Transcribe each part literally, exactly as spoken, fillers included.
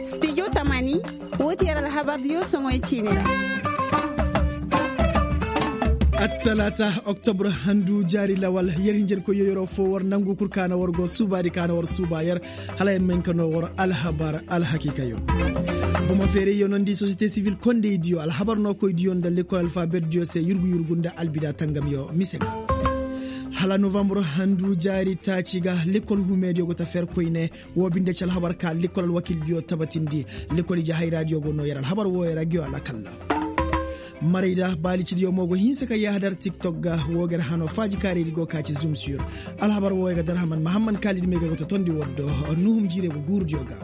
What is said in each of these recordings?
Studio tamani, woo ti yer alhabar diyo soŋoy ciini ra. Attalaata, oktobr handu jaari lawal, yer hinjankoyyo yeroo foo war nangu kul ka na war go suubaadi ka na war suuba yer, hala yer ma hin ka noo war alhabar alhakiikayo. Bomo feerayyo nondi sosiyete sivil kondaydiyo alhabar nookoydiyo nda lekkol alfabetdiyo se yurgu yurgu nda albida tangamyo mise ga. Hala novambur handu jaari taaci ga lekkol huumeediyo go ta fer koyne. Woo binde ci alhabar ka lekkol alwakildiyo tabatindi. Lekkol ije hayraadiyo go noo yer alhabar wooyo ra ngiyo alakalla. Marayda baalicidiyo mo go hinsa ka yahadar tiktok ga. Woo ga yer hanoo faaji kaaraydi go ka ci zum sur. Alhabar wooyo ga darhaman mahamman kaalidi may ga go ta tondi war do. Nuhum jiirey go guurudiyo ga.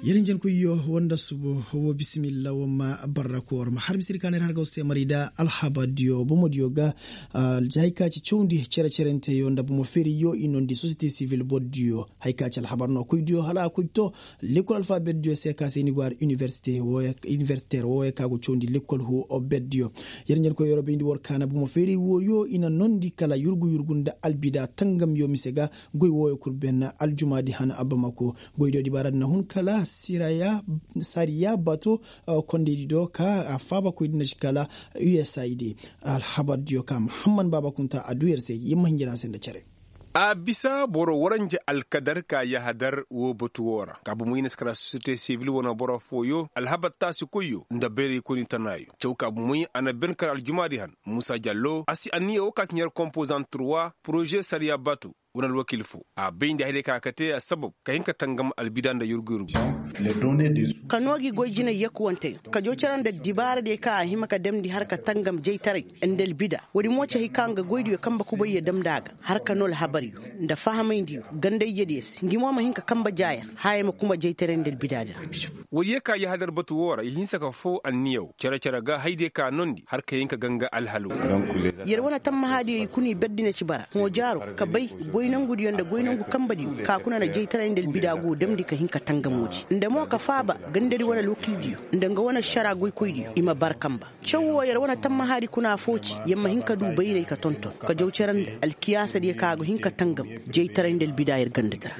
Yer njenkoyyo woo nda subo. Woo bisimilla woo ma barra koor ma har misiri ka na yer har ga war se marayda alhabardiyo bomodiyo ga. Aljahay ka ci cawndi cere-cerenteyo nda bomo feeriyo i nondi sosiyete sivil bordiyo. Hay ka ci alhabar no koydiyo hala a koy to lekkol alfabetdiyo se ka se ni go har iniversite wooyo ka go cawndi lekkol huu obetdiyo. Yer njer koy yoro bayndi war kaana bomo feeray wooyo i na nondi kala yurgu yurgu nda albida tangamyo mise ga. Goy wooyo kul ben aljumaadi han abamako. Goydiyo dibaaradi na hun kala sariya bato kondaydi do ka a faabakoydi na ci kala usaid. Alhabardiyo ka muhamman baaba kunta a duu yer se yer ma hinjina se nda cere. A bisa boro waranja alkadar ka yahadar woo batu woo ra ka bomoy na si kala sosiyete sivil wane boro fooyo alhabar taasikoyyo nda bayraykoyni tanaayo caw ka bomoy a na ben kala aljumaadi han muusa jallo a si anniya woo ka si ɲar kompozant turwa poroze sariya bato. Wane alwakil foo a bayndi hayday ka a kate assabab ka hin ka tangam albida nda yurgu yurgu. Ka noo gi goy jinay yakuwanteyo ka jaw cere nda dibaaradiyo ka a hima ka damndi har ka tangam jaytaray nda albida. Woodi mo ci hay ka nga goydiyo kanbe kubayyo damndi a ga har ka noo alhabaryo nda fahamayndiyo ganda ijediyo se ngi mo ma hin ka kanbe jaayer haya ma kuma jaytaray nda albidaadi ra. Woodiyo ka yahadar batu woo ra i hinsa ka foo anniya woo cere-cere ga haydiyo ka noondi har ka hin ka ganga alhal woo. Yer wane tammahaadiyo i kuna i berdi na ci bara hõ jaaro ka bay goy nangudiyo nda goy nangu kanbediyo ka kuna na jaytaray nda albida go damndi ka hin ka tangamoodi nda mo ka faaba gandadi wane alwakildiyo nda nga wane ašara goykoydiyo i ma bara kanba. Caw woo yer wane tammahaadi kuna affoo ci yer ma hin ka duu bayray ka tonton ka jaw cere nda alkiyaasadiyo ka a go hin ka tangam jaytaray nda albida yer gandadi ra.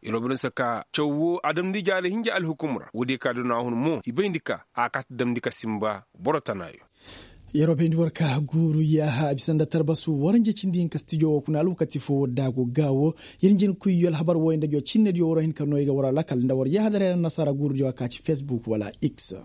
Yer wo bine se ka caw woo a damndi jaari hinja alhukum ra woodiyo ka duna hun mo i bayndi ka a kaati damndi ka sinba boro tanaayo. Yer wo bayndi war ka guuru yaaha a bisa nda tarbasu waranja cindi hinka stijo woo kuna alwakati foo war daago gaawo. Yer njenkuy yo alhabar wooyo nda ngiyo cinnediyo war hin ka noo i ga war alakal nda war yaaha dara yer annasaara guurudiyo a ka ci fesbuk wala x.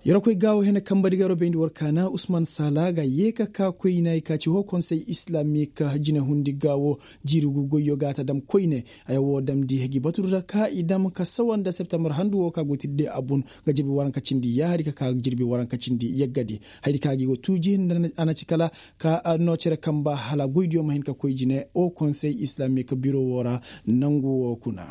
Yer wo koy gaawo hene kanbedi ga yer wo bayndi war kaana usman saala ga yee ka kaa koyna i ka ci hoo konsey islamik jinehundi gaawo. Jiiri gu goyyo ga a ta dam koyne. Haya woo damndi gi batu ra ka i dam ka sawa nda septembar handu woo ka go tirde a bun. Nga jirbi waranka cindi yaahadi ka kaa jirbi waranka cindi yaggadi. Hayadi ka gi go tuuji nda a na ci kala ka noo cere kanba hala goydiyo ma hin ka koy jine o konsey islamik biro woo ra. Nangu woo kuna.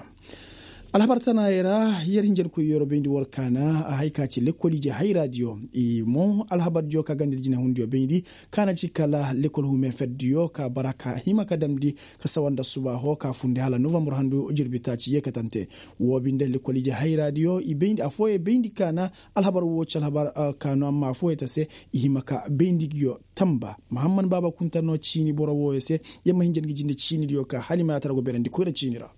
Alhabar tanaayey ra yer hinjankoy yer wo bayndi war kaana a hay ka ci lekkol ije hayraadiyo i mo alhabardiyo ka ganda jinehundiyo bayndi. Ka na ci kala lekkol huume ferdiyo ka bara ka hima ka damndi ka sawa nda subaaho ka fundi hala novambur handu jirbi taaci yeekatante. Woo binde lekkol ije hayraadiyo i bayndi affooyey bayndi ka na alhabar woo ci alhabar ka no amma affooyey ta se i hima ka bayndi ngiyo. Tamba mahamman baaba kunta no ciini boro wooyo se. Yer ma hinja ngi jinde ciinidiyo ka hala i ma yaatara go beerandi koyra ciini ra.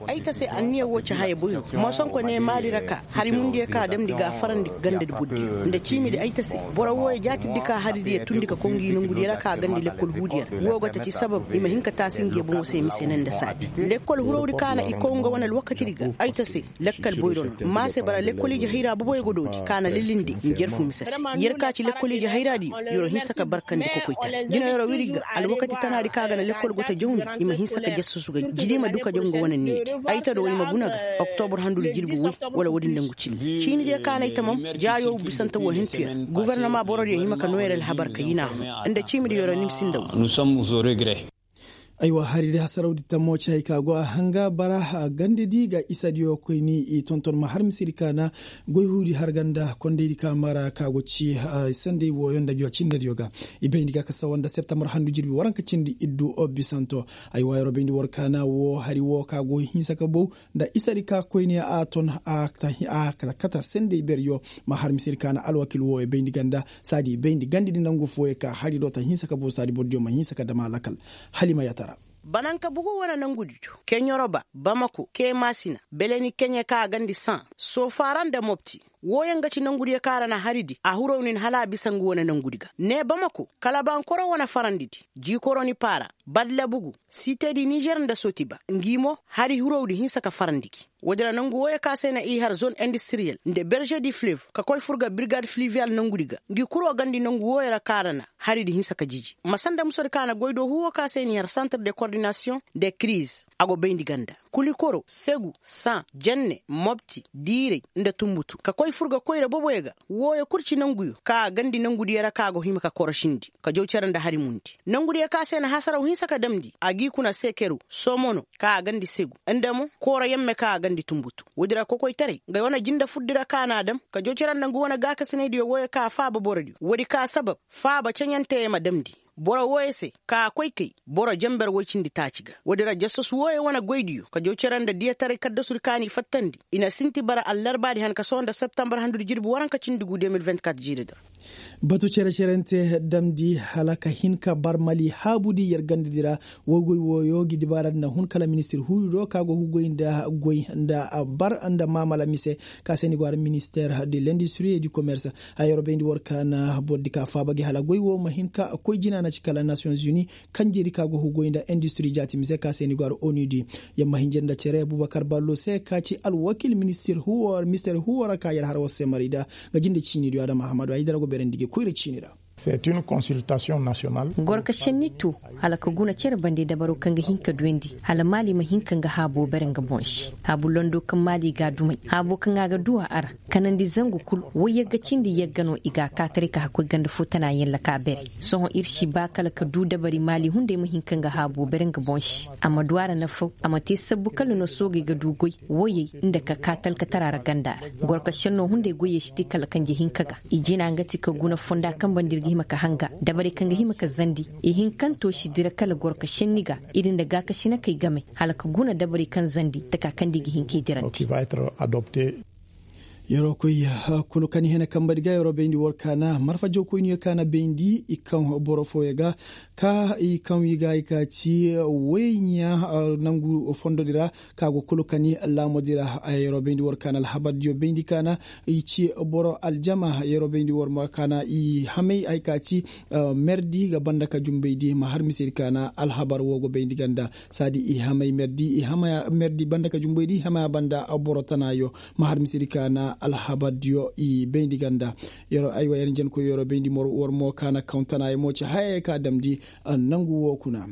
Ay ta se anniya woo ci haya boy no. Moosonko ne maali ra ka hari mundiyo ka a damndi ga a farandi gandadi burdiyo nda ciimidi ay ta se. Boro wooyo jaatirdi ka haridi yee tundi ka koy ngi nongudiyo ra ka a gandi lekkol huudiyo ra woo go ta ci sabab i ma hin ka taasi ngi boŋo se mise ne nda saadi lekkol hurawdi ka na i koy nga wane alwakatidi ga. Ay ta se lakkal boyro no maa se bara lekkol ije hayra boboyo go doodi ka na lilindi njer fu mise se. Yer ka ci lekkol ije hayraadiyo yer wo hinsa ka barkandi kokoytaray jina yer wo wiri ga alwakati tanaadi ka ga na lekkol go ta jawndi. I ma hinsa ka jassusu ga jidi ma du ka jaw nga wane niidi. Ay ta do i ma guna ga oktobur handudi jirbi woy wala woodin nda ngu cilli ciinidiyo ka na ay tamam. Jaayo bisante woo hintu yer gofornama borodiyo hima ka noo yer alhabar ka yinaa hun nda ciimidi yer wo nimsi nda woo. Aywa hari di hasarawdi tammo ci hari ka go a hanga bara gandedi ga isadiyo koyni i tonton ma har misedi ka na goy huudi har ganda kondaydi ka mara ka go ci sandey wooyo nda cindediyo ga. I bayndi ga ka sawa nda septambar handu jirbi waranka cindi iddu bisanto. Aywa yeroo bayndi war ka na woo hari woo ka go hinsa ka bow nda isadi ka koyne a ton a kata sendey beryo. Ma har misedi ka na alwakil wooyo bayndi ganda saadi bayndi gandedi nangu fooyo ka hari do ta hinsa ka bow saadi bordiyo ma hinsa ka dam a lakal. Hala i ma yatara. Bananka bugu wane nangudi do keɲoroba bamako keemasina beleni keɲe ka a gandi san sofaara nda mopti. Wooyaŋ ga ci nangudiyo kaŋ a ra na haridi a huraw nin hala a bisa nga wane nangudi ga ne bamako kala bankoro wane farandidi. Jiikoro ni paara badla bugu sitedi nizer nda sotiba ngi mo hari hurawdi hinsa ka farandi gi. Woodi ra nangu wooyo ka se na i har zone industriyel nda berze di flev ka koy fur ga birgad fliviyal nangudi ga ngi kuro gandi nangu wooyo ra ka ra na haridi hinsa ka jiji ma sanda musodi ka na goy do huwo ka se n'i har santre de kordinasiyoŋ de kriz. A go bayndi ganda kulikoro segu san jenne mopti diiray nda tumbutu ka koy fur ga koyra boboyo ga. Wooyo kul ci nanguyo ka a gandi nangudiyo ra ka go hima ka korosindi ka jaw cere nda hari mundi. Nangudiyo ka se na hasaraw hinsa ka damndi a g'i kuna sekeru somono ka a gandi segu nda mo kooro yemme ka a gandi tumbutu. Woodi ra kokoytaray nga wane jinde furdi ra ka n'a dam ka jaw cere nda nga wane gaakasinaydiyo wooyo ka faaba borodiyo woodi ka sabab faaba ceɲanteyo ma damndi boro wooyo se ka a koy kay boro jenber woy cindi taaci ga. Woodi ra jassos wooyo wane goydiyo ka jaw cere nda diyataray kaddasudi ka n'i fattandi i na sinti bara allarbaadi han ka sohõ nda septambar handudi jirbi waranka cindi gu de mil vingt-kat jiiridi ra. Batu cere-cerente damndi hala ka hin ka bar mali haabudi yer gandedi ra. Woy goy wooyo ngi dibaaradi na hun kala ministir huudi do ka go ga goy nda goy nda bar nda maamala mise ka se ni go har minister de lindistri et du commerce. Haya yeroo bayndi war ka na bordi ka faaba gi hala goy woo ma hin ka koy jina na ci kala nations unis kanjedi ka go ga goy nda indistri jaati mise ka se ni go har onudi. Yer ma hinjir nda cere abubakar ballo se ka ci alwakil ministir huwo ra ka yer har war se marayda. Nga jinde ciinidiyo adama ahamadu haydara go beerandi gi koyra ciini ra. Gorka šenni to hala ka guna cere bande dabaro kaŋ ga hin ka duyandi hala maali ma hin ka nga haabo bere nga boŋ se. Haabu londo kaŋ maali ga a dumay haabo kaŋ a ga du a ra kanandi zangu kul. Woy yagga cindi yagga no i ga a kaataray ka hakkoy ganda fo tana yalla ka bere. Sohõ ir si ba kala ka du dabari maali hunday ma hin ka nga haabo bere nga boŋ se. A ma du a ra nafaw a ma te sabbu kala no soogey ga du goy woyey nda ka kaa talkatara ra ganda ra. Gorka šenno hunday goyey si te kala kanje hinka ga i jina nga ti ka guna fonda kaŋ banda ir ga hima ka hanga dabarey kaŋ ga hima ka zandi. I hinkanto si dira kala gorka šenni ga ir nda gaakasinakey game hala ka guna dabarey kaŋ zandi taka kaŋ da i ga hin k'ey dirandi. Yeroo koy kulu kaŋ i hene kambadi ga yeroo bayndi war kaana marfa jawkoyniyo kaana bayndi i kaŋ boro fooyo ga ka i kaŋ wi ga i ka ci woy ɲa nangu fondodi ra ka go kulu kani laamodi ra. Yeroo bayndi war kaana alhabardiyo bayndi kaana i ci boro aljama yeroo bayndi war ma kaana i hamay ay ka ci merdi ga banda ka jumbaydi ma har misedi kaana alhabar wo go bayndi ganda saadi i hamay merdi i hamaya merdi banda ka jumbaydi i hamaya banda boro tanaayo ma har misedi kaana alhabardiyo i bayndi ganda. Yeroo aywa yer njenkoy yeroo bayndi war mo kaana kaŋ tanaayo mo ci hayey ka damndi nangu wo kuna.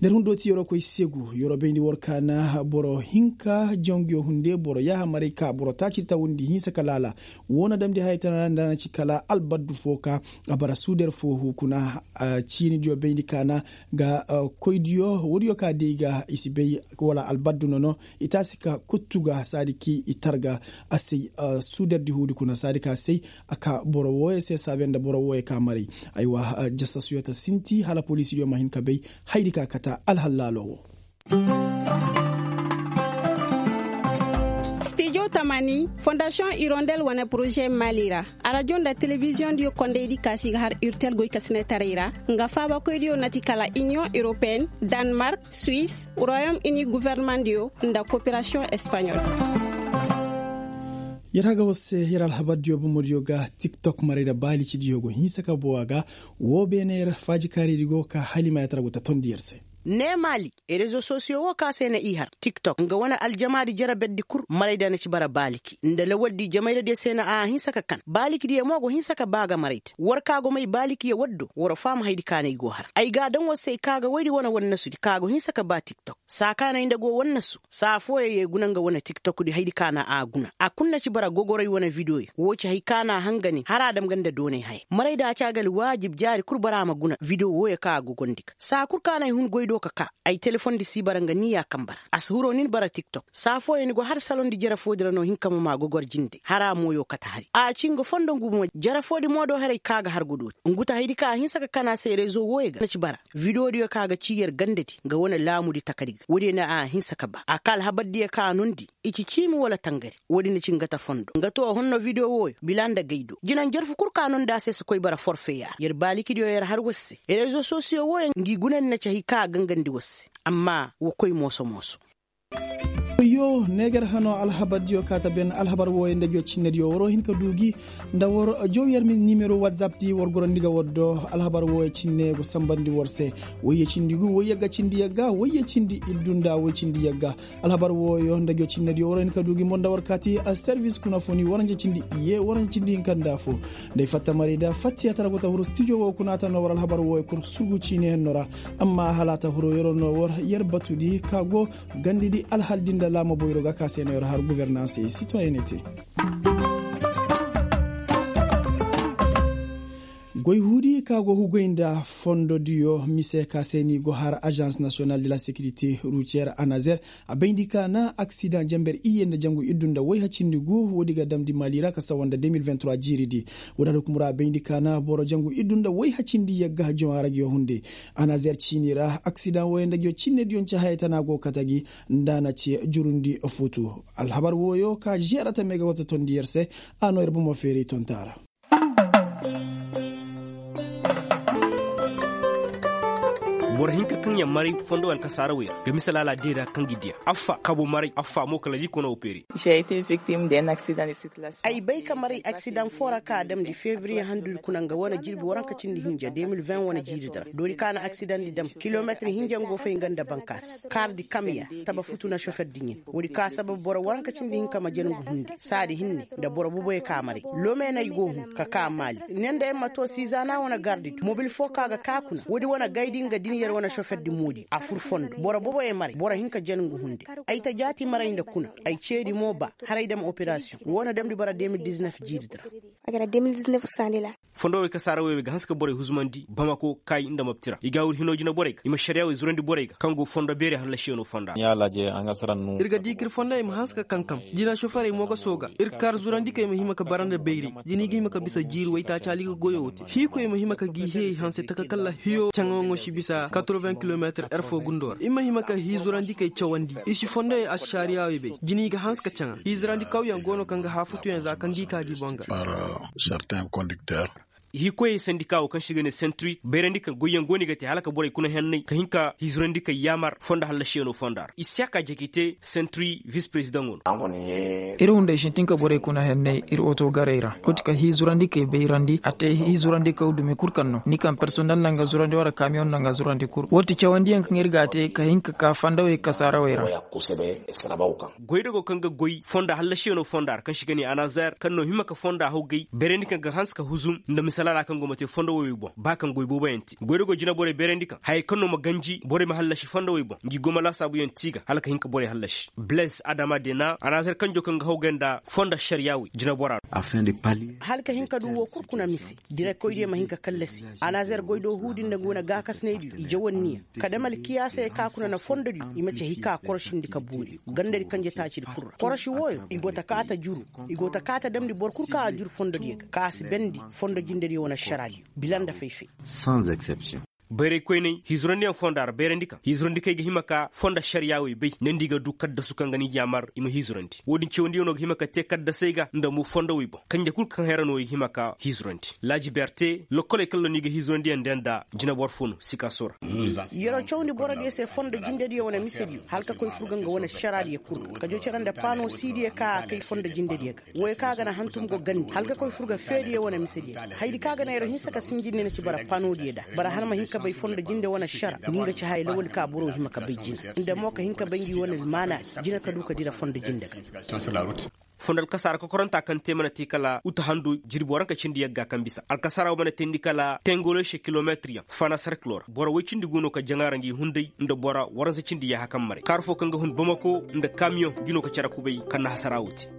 Nda ir hun dooti yeroo koy segu yeroo bayndi war kaana boro hinka janguyo hunde boro yaaha maray ka boro taaci tawandi hinsa ka laala. Woo na damndi hayey tana ra nda na ci kala albaddu foo ka a bara suuder foo huu kuna. Ciinidiyo bayndi kaana ga koydiyo woodiyo ka day ga i si bay wala albaddu nono i taasi ka kuttu ga saadi kaŋ i targa a say. Suuderdi huudi kuna saadi ka say a ka boro wooyo se saabe nda boro wooyo ka maray. Aywa jasasuyo ta sinti hala poliisidiyo ma hin ka bay haydi ka kata alhallaaloo wo. Stijo tamani fondasiyoŋ irondel wane poroze mali ra arajo nda telebiziyoŋdiyo kondaydi kaasi ga har irtel goykasinetaray ra nga faabakoydiyo na ti kala iniyoŋ europeen, danmark, suwis, royom ini guvernemandiyo nda koperasiyoŋ espaɲol. Yer haga war se yer alhabardiyo bomodiyo ga tiktok maray nda baalicidiyo go hinsa ka bowa ga. Woo beene yer faajikaaridi go ka hala i ma yaatara go ta tondi yer se. Ne maali rezo sosiyo wo ka se na i har tiktok nga wane aljamaadi jere berdi kul marayda na ci bara baaliki nda lawaldi jamayradiyo se na a hinsa ka kan baalikidiyo mo go hinsa ka ba ga marayda. War ka go may baalikiyo waddo war faama haydi ka na i go har ay ga a daŋ war se ay ka ga woydi wane wannasudi ka go hinsa ka ba tiktok saa ka na ay nda go wannasu saa fooyo ye guna nga wane tiktokdi haydi ka na a guna a kul na ci bara gogoray wane videoyo woo ci hay ka na a hanga ne har a dam ga nda doonay haya marayda a ci a ga alwaajib jaari kul bara ma guna video wooyo ka a gogondi ga saa kul ka na ay hun goy. Ka ka ay telefoŋ di si bara nga ni ya kaŋ bara a si huro nin bara tiktok saa fooyaŋ ni go har saloŋ di jere foo di ra no hinka ma maa gogor jinde hara mooyo kate hari a ci nga fondo ngu mo jere foo di mo do haray ka ga har godo te ngu ta hay di ka a hinsa ka kana se rezo wooyo ga na ci bara. Video diyo ka ga ci yer ganda di nga wane laamu di taka di ga woodiyo na a hinsa ka ba a ka alhabar diyo ka a nondi. I ci ciimi wala tangari woodi na ci nga ta fondo nga to honno video wooyo bila nda gay do jina njarfu kul ka no nda a se si koy bara forfe yaara yer baaliki diyo yer har war se. Rezo sosiyo wooyo ngi guna ni na ci hay ka a gangandi war se. Amma wa koy mooso mooso. Yoo neegar hano alhabar diyo ka ta ben alhabar wooyo nda jocinne diyo waroo hin ka du gi nda war jow yer nimero whatsapp di war gorandi ga war do. Alhabar wooyo cinne go sambandi war se. Wayye cindi gu wayye ga cindi yagga wayye cindi iddu nda way cindi yagga. Alhabar wooyo nda jocinne diyo waroo hin ka du gi mo nda war kaati. Servis kuna fo ni waranja cindi iyye waranja cindi hinka nda fo. Nda ay fatta maray da fatti a tara go ta huru stijo woo kuna a ta no war alhabar wooyo kul surgu ciine henno ra. Amma hala a ta huru yeroo no war yer batudi ka go gandidi alhal di nda laama boyro ga ka se no yer har guvernanse sitoyenete. Goy huudi ka go hugay nda fondo diyo mise ka se ni go har agence national de la securité routière anazer. A bayndi ka na aksidaŋ jamber iyye nda jangu iddu nda wayha cindi gu woodi ga damndi maali ra ka sawa nda deux mille vingt trois jiiri di. Woodi alhukum ra a bayndi ka na boro jangu iddu nda wayha cindi yagga joŋ a rajo hunde. Anazer ciini ra aksidaŋ wooyo nda jocinne diyo nce haya tana go kate gi. Nda a na ci jurundi futu. Alhabar wooyo ka žeera ta me ga wata tondi yer se. A no yer bomo feeray tonta ra. Boro hinka kaŋ yaŋ maray fondo alkasaara wooyo ga mise laala deeda kaŋ gi diya affa kabo maray affa mo kala di kono wo peeri. Ay bay ka maray aksidaŋ foo ra kaŋ a damndi febriye handudi kuna nga wane jirbi waranka cindi hinja deux mille vingt wane jiiri di ra doori ka na aksidaŋ di dam kilometir hinja nga go fay nga nda bankaas kaar di kamya taba futu na sofer di ɲin. Woodi ka sabab boro waranka cindi hinka ma jana ngu hunde saadi hinne nda boro boboyo ka maray. Lome no ay go hun ka ka maali ne nda ay ma to sizaana wane gardi di mobil foo ka ga ka kuna woodi wane gaydi nga din yer wane sofer di moodi a fur fondo boro boboyo maray boro hinka jana ngu hunde. Ay ta jaati maray nda kuna ay ceedi mo ba haray dam operasiyoŋ woo na damndi bara deux mille dix-neuf jiiri di ra. Fondo wey kasaara wey wey ga hanse ka borey huzumandi bamako kay nda mapti ra i ga a wuri hinoo jina borey ga i ma šariya wey zurandi borey ga kaŋ go fondo beeri hallasiyanoo fonda ra. Ir ga di ka ir fondowey ma hanse ka kankam jina soferey mo ga sooga ir kaar zurandikey ma hima ka bara nda bayray jina i ga hima ka bisa jiiri waytaaci hala i ga goyoo te hiikoy ma hima ka gi hiyey hanse taka kala hiyo caŋaŋo si bisa quatre-vingts kilomeetir er foo gundoo ra i ma hima ka hii zurandikey cawandi i si fondowey ašariyaawey bay jina i ga hanse ka caŋa hii zurandi kawyaŋ go no kaŋ ga haafutuyaŋ za kaŋ gi ka gi boŋ ga. Hiikoyey sandika woo kaŋ se i ga ne sentrik bayrandi kaŋ goyyaŋ go no i ga te hala ka borey kuna henney ka hin ka hii zurandi kaŋ yaamar fondo hallasiyanoo fonda ra i si a ka jaki te sentrik vis perezidaŋo no. Ir hunday sintin ka borey kuna henney ir otogarey ra woo ti ka hii zurandi kay bayrandi a te hii zurandi kaw dumi kul kaŋ no ni kaŋ personel naŋ ga zurandi wara kamiyoŋ naŋ ga zurandi kul woo ti cawandiyaŋ kaŋ ir ga a te ka hin ka ka fandawey kasaarawey ra. Goydogo kaŋ ga goy fonda hallasiyanoo fonda ra kaŋ se i ga ne anazer kaŋ no hima ka fonda hawgay bayrandi kaŋ ga hanse ka huzum nda misalaara kaŋ go ma te fondowey boŋ ba kaŋ goy booboyaŋ te goydogo jinaborey bayrandi kaŋ hayey kaŋ no ma ganji borey ma hallasi fondowey boŋ ngi go ma laasaabuyaŋ te i ga hala ka hin ka borey hallasi. Blaise adama dena anazer kanjo kaŋ ga hawgay nda fonda ašariyaawey jinabora ra. Hala ka hin ka du woo kul kuna mise direkoydiyo ma hin ka kallasi anazer goy do huudi nda ngu na gaakasinaydiyo i jawanniya ka dam alkiyaasey ka kuna na fondodiyo i ma ci hay ka korosindi ka boori gandadi kanje taacidi kul ra korosi wooyo i go ta kaa ta juru i go ta kaa ta damndi boro kul kaŋ a juru fondodiyo ga ka a si bendi fondo jindediyo wane ašaraadiyo bila nda fay-fay. Bayraykoyney hiizurandiyaŋ fonda ra bayrandi kaŋ hiizurandikey ga hima ka fonda ašariyaawey bay nda nda i ga du kaddasu kaŋ ga ni yaamar i ma hiizurandi woodin cawandiyano ga hima ka te kaddasey ga nda mo fondowey boŋ kanje kul kaŋ hayra no i ga hima ka hiizurandi laaji berte lokkoley kaŋ no ni ga hiizurandiyaŋ nda nda jinaboro fo no sikaso ra. Yeroo cawandi borodiyo se fondo jindediyo wane misediyo hala ka koy fur ga nga wane ašaraadiyo kul ga ka joo cere nda paano siidiyo ka a kay fondo jindediyo ga wooyo kaŋ a ga na hantum go gandi hala ka koy fur ga feediyo wane misediyo ga hayadi kaŋ a ga na yeroo hinsa ka sinjinni na ci bara panodiyo da bara hala ma hin ka bay fondo jinde wane ašara ni nga ci haya lawali ka boro hima ka bay jina nda mo ka hin ka bay ngi wane almaanaadi jina ka du ka dira fondo jinde ga. Fondo alkasaara kokoranta kaŋ te mana te kala uta hando jirbi waranka cindi yagga kaŋ bisa alkasaara wo mana teendi kala tengoloshe kilometir yaŋ fana serkilo ra boro woy cindi go no ka jaŋa ra ngi hunday nda boro waransa cindi yaaha kaŋ maray kaara fo kaŋ ga hun bamako nda kamiyoŋ ngi no ka cere kubay kaŋ na hasara wo te.